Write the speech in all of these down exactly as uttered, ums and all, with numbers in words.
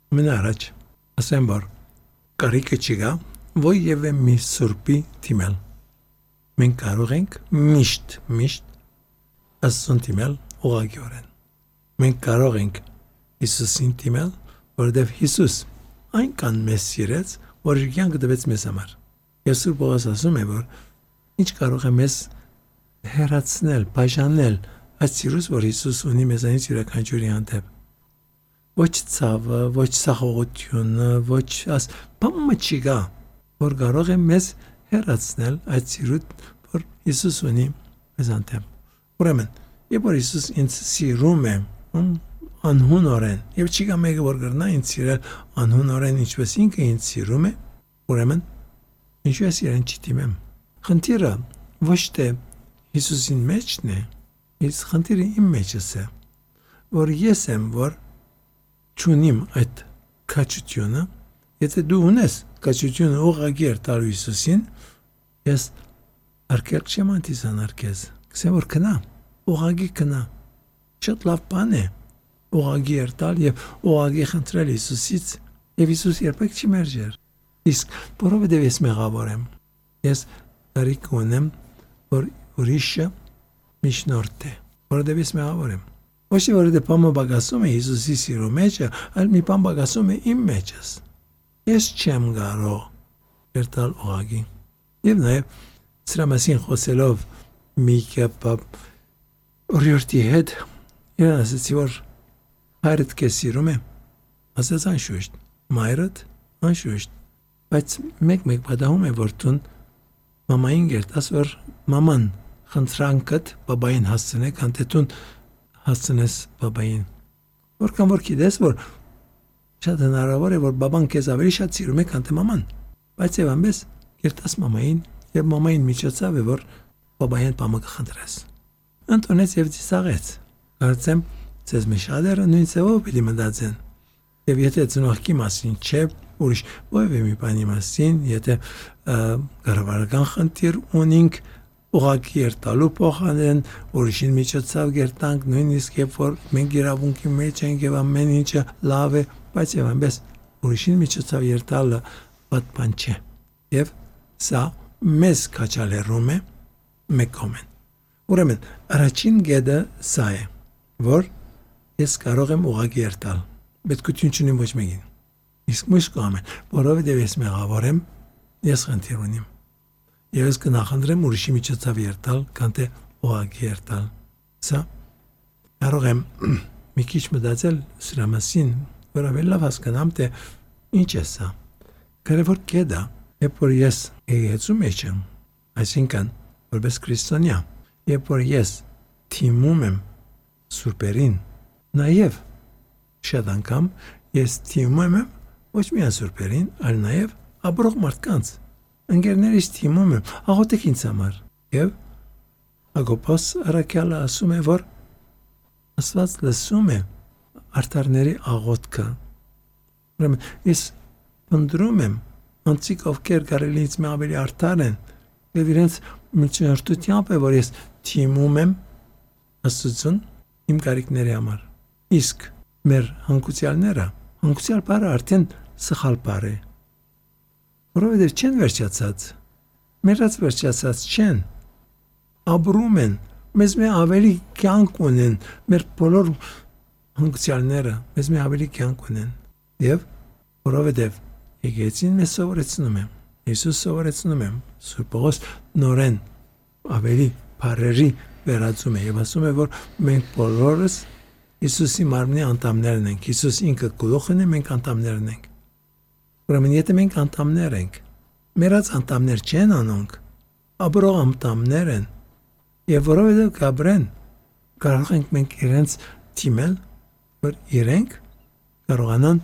Մեն առաջ ասեմ որ կարիքը չկա ովև մի սուրբի թիմել մենք կարող ենք միշտ միշտ Աստծուն թիմել ուղղակիորեն մենք կարող ենք Հիսուսին թիմել որովհետև Հիսուս այնքան մեզ սիրեց որ իր կյանքը տվեց մեզ համար եւ Սուրբ Պողոս ասում է որ ինչ կարող է մեզ հեռացնել բաժանել այդ սիրուց որ Հիսուս ունի մեզանից յուրաքանչյուրի հանդեպ ոչ ցավը ոչ սախողությունը ոչ աս բամը չկա որ կարող է մեզ հեռացնել այդ սիրուց որ Հիսուս ունի մեզ հանդեպ ուրեմն երբ որ Հիսուս ինձ սիրում է անհունորեն եւ չկա մեկը որ կրնա ինձ սիրել անհունորեն ինչպես ինքը ինձ սիրում է ուրեմն ինչու է սիրեն չդիմեմ խնդիրը ոչ թե Հիսուսին մեջն է իսկ խնդիրը իմ մեջս է որ ես եմ որ չունիմ այդ քաջությունը եթե դու ունես քաջությունը ուղղակի տալու Հիսուսին ես արկել չեմ անտիսանալ քեզ քսեմ որ կնա ուղղակի կնա շատ լավ բան է ուղղակի տալ եւ ուղղակի խնդրել Հիսուսից եւ Հիսուս երբեք չի մերժեր իսկ որովհետեւ ես մեղավոր եմ ես տարիք ունեմ որ ուրիշը միջնորդ է որովհետեւ ես մեղավոր եմ ոչ թե որովհետեւ բամը բագասում է Հիսուսի սիրո մեջը այլ մի բան բագասում է իմ մեջս ես չեմ կարող երթալ ուղղակի եւ նաեւ սրա մասին խոսելով մի կապ օրիորդի հետ իրան ասեցի որ հայրդ քեզ սիրում է ասեց անշուշտ մայրդ անշուշտ բայց մեկ-մեկ պատահում է որ դու մամային գերտաս որ մաման խնդրանքդ բաբային հասցնե քան թե դու հասցնես բաբային որքան որ գիտես որ շատ հնարավոր է որ բաբան քեզ ավելի շատ սիրում է քան թե մաման բայց եւ ամենս գերտաս մամային եւ մամային միջոցով է որ բաբային բամը կխնդրես Անտոնեց եւ ծիսաղեց կարծեմ ցեզ մեշադերը նույն ծավով պիտի մտածեն եւ եթե ծնողքի մասին չէ ուրիշ ովևէ մի բանի մասին եթե կառավարական խնդիր ունենք ուղղակի երտալու փոխանեն ուրիշին միջոցով գերտանք նույնիսկ երբ որ մենք իրավունքի մեջ ենք եւ ամեն ինչը լավ է բայց եւ այնպես ուրիշին միջոցով երտալը բաց բան չէ եւ սա մեզ քաչալերում է մեկոմեն ուրեմն առաջին գեդը սա է որ ես կարող եմ ուղղակի երտալ պետքություն չունեմ ոչ մեկին իսկ միշտ կամեն որովհետեւ ես մեղավոր եմ ես խնդիր ունիմ եւ ես կնախընտրեմ ուրիշի միջոցով երտալ քան թե ուղղակի երտալ սա կարող եմ մի քիչ մտածել սրա մասին որ ավելի լավ հասկանամ թե ինչ է սա կարևոր գեդա երբ որ ես եկեցու մեջ եմ այսինքն որպես քրիստոնյա երբ որ ես թիմում եմ սուրբերին նաեւ շատ անգամ ես թիմում եմ ոչ միայն սուրբերին այլ նաեւ ապրող մարդկանց ընկերներիս թիմում եմ աղոթեք ինձ համար եւ Ագոպոս Արաքյալը ասում է որ Աստված լսում է արտարների աղոթքը ուրեմն ես ընդրում եմ անցիկ ովքեր կարելի ինձ մի ավելի արտար են եւ իրենց միջնորդությամբ է որ ես թիմում եմ Աստծուն իմ կարիքների համար իսկ մեր հանգուցյալները հանգուցյալ բառը արդեն սխալ բառ է որովհետև չեն վերջացած մերած վերջացած չեն ապրում են մեզ մի ավելի կյանք ունեն մեր բոլոր հանգուցյալները մեզ մի ավելի կյանք ունեն եւ որովհետև եկեցին մեզ սովորեցնում եմ Հիսուս սովորեցնում եմ Սուրբ Պողոս նորեն ավելի բարերի վերածում է եւ ասում է որ մենք բոլորս Հիսուսի մարմնի անդամներն ենք Հիսուս ինքը գլուխն է մենք անդամներն ենք ուրեմն եթե մենք անդամներ ենք մերած անդամներ չեն անոնք ապրող անդամներ են եւ որովհետեւ կաբրեն կարող ենք մենք իրենց թիմել որ իրենք կարողանան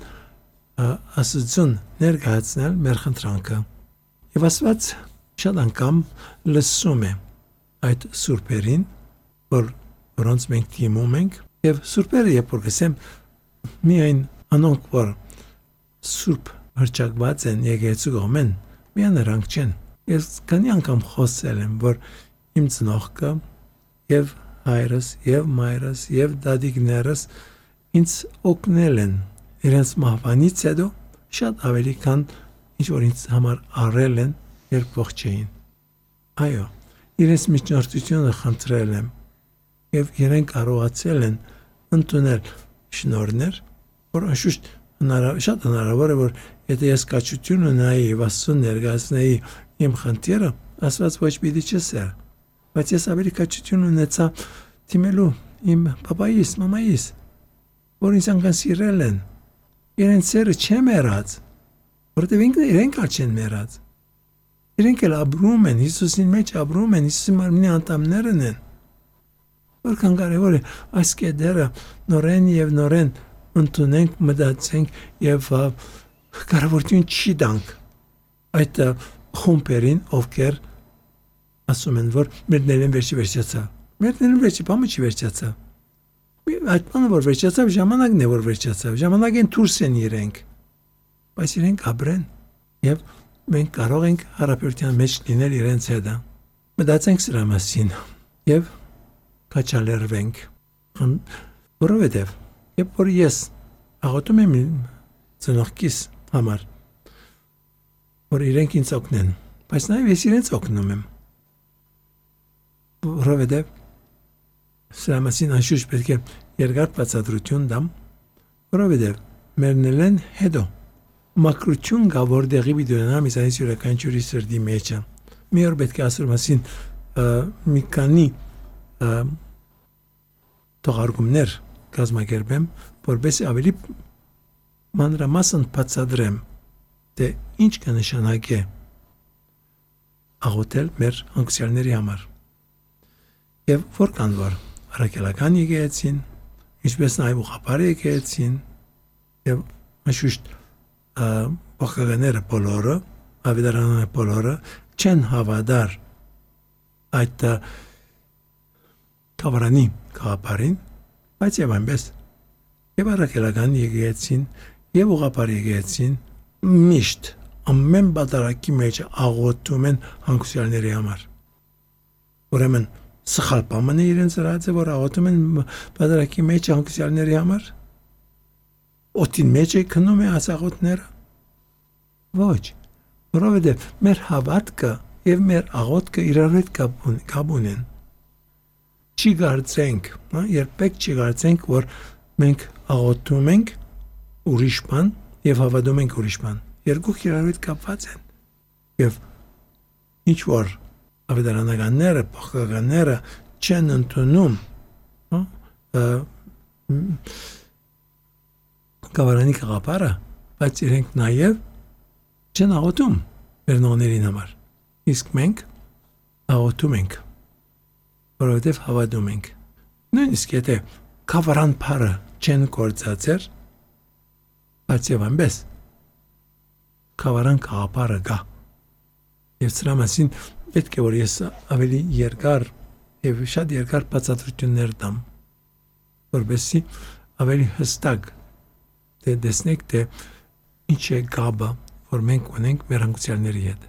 Աստծուն ներկայացնել մեր խնդրանքը եւ Աստված շատ անգամ լսում է այդ սուրբերին որ որոնց մենք թիմում ենք եւ սուրբերը երբ որ գսեմ միայն անոնք որ սուրբ հրճակված են եկեցու գոմեն միայն նրանք չեն ես քանի անգամ խոսել եմ որ իմ ծնողքը եւ հայրս եւ մայրս եւ դադիկներս ինձ օգնել են իրենց մահվանից հետո շատ ավելի քան ինչ որ ինձ համար առել են, երբ ողջ էին։ Այո, իրենց միջնորդությունը խնդրել եմ եւ իրենք կարողացել են ընդունել շնորհներ, որ անշուշտ հնարավոր շատ հնարավոր է, որ եթե ես կաչություն ունենայի եւ Աստծուն ներկայացնեի իմ խնդիրը, Աստված ոչ պիտի չսեր, բայց ես ավելի կաչություն ունեցա դիմելու իմ պապայիս, մամայիս, որ ինձ անգամ սիրել են, իրենց սերը չեմ երած, որտեղ իրենք չեն մեռած։ Իրենք էլ ապրում են, Հիսուսին մեջ ապրում են, Հիսուսի մարմնի անդամներն են։ Որքան կարևոր է այս կետերը նորեն եւ նորեն ընդունենք, մտածենք եւ կարևորություն չի տանք այդ խումբերին, ովքեր ասում են, որ մերներն վերջի վերջացա։ Մերներն վերջի բամը չի վերջացա։ Այդ բանը որ վերջացավ, ժամանակն է որ վերջացավ, ժամանակին դուրս են իրենք, բայց իրենք ապրեն եւ մենք կարող ենք հարաբերության մեջ լինել իրենց հետ։ Մտածենք սրա մասին եւ կաչալերվենք, որովհետեւ երբ որ ես աղոթում եմ ծնողքիս համար, որ իրենք ինձ օգնեն, բայց նաեւ ես իրենց օգնում եմ, որովհետեւ սրա մասին անշուշտ պետք է երկար բացատրություն տամ, որովհետեւ մերնելեն հետո մակրություն կա, որ դեղի բիդոնամ իսայիս յուրաքանչյուրի սրտի մեջը։ Մի օր պետք է ասոր մասին մի քանի թողարկումներ կազմակերպեմ, որովհետեւ ավելի մանրամասն բացատրեմ, թե ինչ կնշանակի աղոթել մեր հանգուցյալների համար։ Եվ որքան որ առաքելական եկեղեցին, ինչպես նաև ուղղափառ եկեղեցին, եւ անշուշտ բախականները բոլորը, ավետարանները բոլորը չեն հավատար այդ կավարանի կապարին, բայց եւ այնպես եւ առաքելական եկեղեցին եւ ուղղափառ եկեղեցին միշտ ամեն բادرակի մեջ աղոթում են հանգուցյալների համար։ Ուրեմն սխալ բան է իրենց հրացը, որ աղոթում են բادرակի մեջ հանգուցյալների համար։ Օդին մեջ է քնում է ասաղոթները։ Ոչ, որովհետև մեր հավատքը եւ մեր աղոթքը իրար հետ կապ ունեն։ Չի կարծենք, երբեք չի կարծենք, որ մենք աղոթում ենք ուրիշ բան եւ հավատում ենք ուրիշ բան։ Երկուք իրար հետ կապված են։ Եվ ինչ որ ավետարանականները, բախականները չեն ընդունում կավարանի կաղապարը, բայց իրենք նաև չեն աղոթում մեր նողներին համար։ Իսկ մենք աղոթում ենք, որովհետև հավատում ենք։ Նույնիսկ եթե կավարան պարը չեն կործացեր, բայց եւ այնպես կավարան կաղապարը գա։ Եվ սրա մասին պետք է որ ես ավելի երկար եւ շատ երկար բացատրություններ տամ, որովհետեւ ավելի հստակ դե տեսնեք թե ինչ է գաբը, որ մենք ունենք մեր հանգուցյալների հետ։